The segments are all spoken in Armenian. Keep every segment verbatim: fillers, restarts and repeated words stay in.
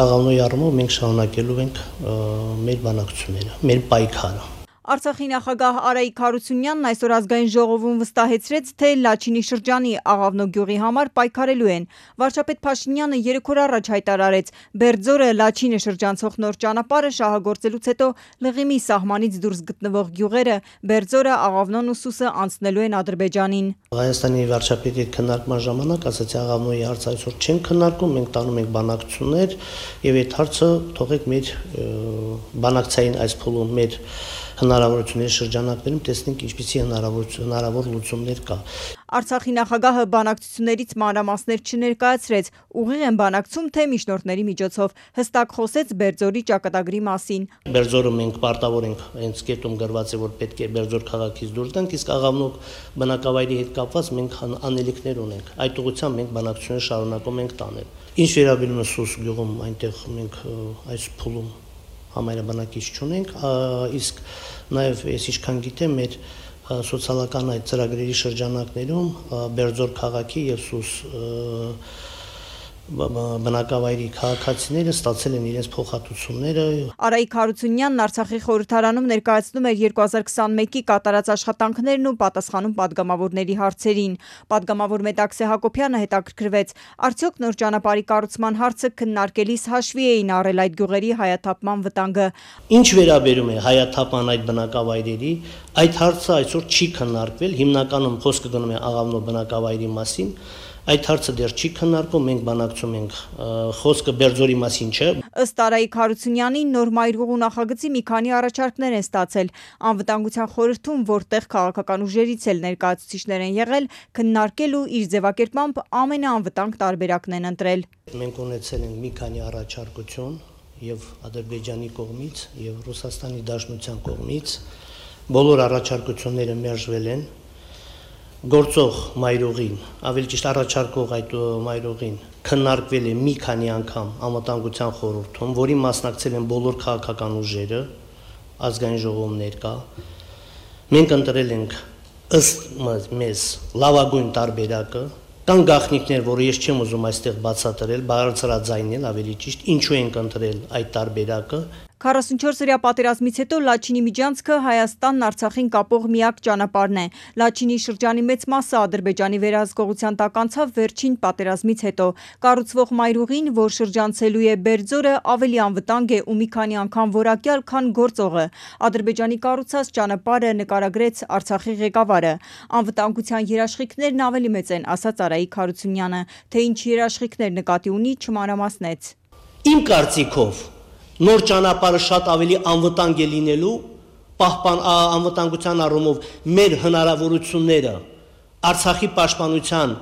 Աղավնոյի առումով մենք շարունակելու ենք մեր բանակցությունները, մեր պայքարը։ Արցախի նախագահ Արայիկ Հարությունյանն այսօր ազգային ժողովում վստահեցրեց, թե Լաչինի շրջանի Աղավնո գյուղի համար պայքարելու են։ Վարչապետ Փաշինյանը երեք օր առաջ հայտարարեց, Բերձորը Լաչինը շրջանցող նոր ճանապարհը շահագործելուց հետո Լղիմի սահմանից դուրս գտնվող գյուղերը Բերձորը, Աղավնոն ու Սուսը անցնելու են Ադրբեջանին։ Հայաստանի վարչապետի քննարկման ժամանակ ասացի Աղավնոյի հարցը այսօր չենք քննարկում, մենք տանում ենք բանակցություններ եւ այդ հարցը թողեք մեր բանակցային այս փուլում մեր հնարավորությունների շրջանակներում տեսնենք ինչպիսի հնարավոր լուծումներ կա։ Արցախի նախագահը բանակցություններից մանրամասներ չներկայացրեց, ուղիղ են բանակցում, թե միջնորդների միջոցով, հստակ խոսեց Բերձորի ճակատագրի մասին։ Բերձորը մենք պարտավոր ենք, հենց կետում գրված է, որ պետք է Բերձոր քաղաքից դուրս գանք, իսկ Աղավնո բնակավայրի հետ կապված մենք անելիքներ ունենք։ Այդ ուղղությամբ մենք բանակցությունները շարունակում ենք տանել։ Ինչ վերաբերում է Սուս գյուղում, այնտեղ մենք այս փուլում համայնը բնակիչ չունենք, իսկ նաև ես ինչքան գիտեմ մեր սոցիալական այդ ծրագրերի շրջանակներում Բերձոր քաղաքի եւ Սուս բնակավայրի քաղաքացիները ստացել են իրենց փոխհատուցումները։ Արայիկ Հարությունյանն Արցախի խորհրդարանում ներկայացնում էր երկու հազար քսանմեկի կատարած աշխատանքներն ու պատասխանում падգամավորների հարցերին։ Պատգամավոր Մետաքսե Հակոբյանը հետաքրքրվեց, արդյոք նոր ճանապարհի կառուցման հարցը քննարկելիս հաշվի էին առել այդ գյուղերի հայաթափման վտանգը։ Ինչ վերաբերում է հայաթափման այդ բնակավայրերի, այդ հարցը այսօր չի քննարկվել, հիմնականում խոսքը գնում է Աղավնո բնակավայրի մասին։ Այդ հարցը դեռ չի քննարկվում, մենք բանակցում ենք, խոսքը Բերձորի մասին չէ։ Ըստ Արայիկ Հարությունյանի նոր մայրուղու նախագծի մի քանի առաջարկներ են ստացել։ Անվտանգության խորհրդում, որտեղ քաղաքական ուժերից էլ ներկայացուցիչներ են եղել, քննարկել ու իր ձևակերպմամբ ամենաանվտանգ տարբերակն են ընտրել։ Մենք ունեցել ենք մի քանի առաջարկություն եւ Ադրբեջանի կողմից եւ Ռուսաստանի Դաշնության կողմից։ Բոլոր առաջարկությունները մերժվել են։ Գործող մայրուղին, ավելի ճիշտ առաջարկող այդ մայրուղին քննարկվել է մի քանի անգամ անվտանգության խորհրդում, որի մասնակցել են բոլոր քաղաքական ուժերը, ազգային ժողովներ կա։ Մենք ընտրել ենք ըստ մեզ լավագույն տարբերակը, կան գաղտնիքներ, որը ես չեմ ուզում այստեղ բացատրել, բարձրաձայնել ավելի ճիշտ, ինչու ենք ընտրել այդ տարբերակը։ քառասունչորսօրյա պատերազմից հետո Լաչինի միջանցքը Հայաստանն Արցախին կապող միակ ճանապարհն է։ Լաչինի շրջանի մեծ մասը Ադրբեջանի վերահսկողության տակ անցավ վերջին պատերազմից հետո։ Կառուցվող մայրուղին, որ շրջանցելու է Բերձորը, ավելի անվտանգ է ու մի քանի անգամ որակյալ, քան գործողը։ Ադրբեջանի կառուցած ճանապարհը նկարագրեց Արցախի ղեկավարը։ Անվտանգության երաշխիքներն ավելի մեծ են, ասաց Արայիկ Հարությունյանը, թե ինչ երաշխիքներ նկատի ունի, չմանրամասնեց։ Իմ կարծիքով նոր ճանապարհը շատ ավելի անվտանգ է լինելու, պահպան անվտանգության առումով մեր հնարավորությունները Արցախի պաշտպանության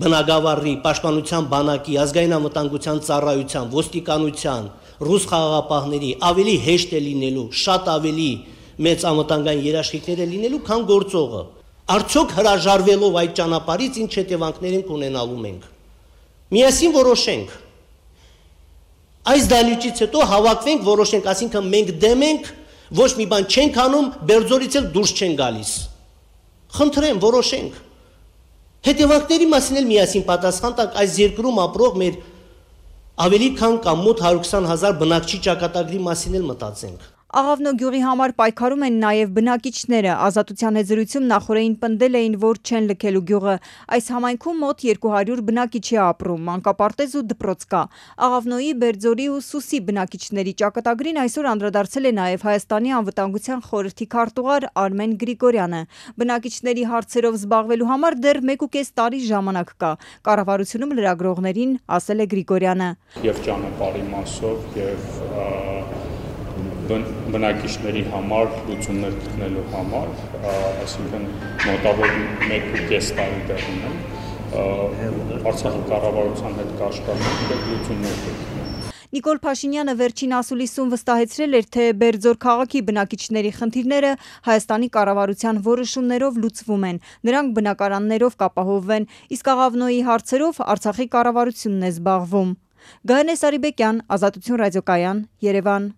բնագավառի, պաշտպանության բանակի, ազգային անվտանգության ծառայության, ոստիկանության, ռուս խաղաղապահների ավելի հեշտ է լինելու, շատ ավելի մեծ անվտանգային երաշխիքներ է լինելու, քան գործողը։ Արդյոք հրաժարվելով այդ ճանապարհից ինչ հետևանքներ ենք ունենալու մենք։ Միասին որոշենք։ Այս դահլիճից հետո հավաքվենք, որոշենք, այսինքն մենք դեմ ենք, ոչ մի բան չենք անում, Բերձորից էլ դուրս չեն գալիս։ Խնդրեմ, որոշենք։ Հետևանքների մասին էլ միասին պատասխան տակ այս երկրում ապրող մեր ավելի քան կամ մոտ հարյուր քսան հազար բնակչի ճակատագրի մասին էլ մտածենք։ Աղավնո գյուղի համար պայքարում են նաև բնակիչները։ Ազատության հետ զրույցում նախորդին պնդել էին, որ չեն լքելու գյուղը։ Այս համայնքում մոտ երկու հարյուր բնակիչ է ապրում, մանկապարտեզ ու դպրոց կա։ Աղավնոյի, Բերձորի ու Սուսի բնակիչների ճակատագրին այսօր անդրադարձել է նաև Հայաստանի անվտանգության խորհրդի քարտուղար Արմեն Գրիգորյանը։ Բնակիչների հարցերով զբաղվելու համար դեռ մեկ ու կես տարի ժամանակ կա։ Կառավարությունում լրագրողներին ասել է Գրիգորյանը։ Եվ ճանապարհի մասով եւ բնակիչների համար լուծումներ գտնելու համար, այսինքն մոտավոր մեկ ու կես տարի դեռ ունեն, Արցախի կառավարության հետ կաշխատենք եւ լուծումներ գտնենք։ Նիկոլ Փաշինյանը վերջին ասուլիսում վստահեցրել էր, թե Բերձոր քաղաքի բնակիչների խնդիրները Հայաստանի կառավարության որոշումներով լուծվում են, նրանք բնակարաններով կապահովվեն, իսկ Աղավնոյի հարցերով Արցախի կառավարությունն է զբաղվում։ Գայանե Սարիբեկյան, Ազատություն ռադիոկայան, Երևան։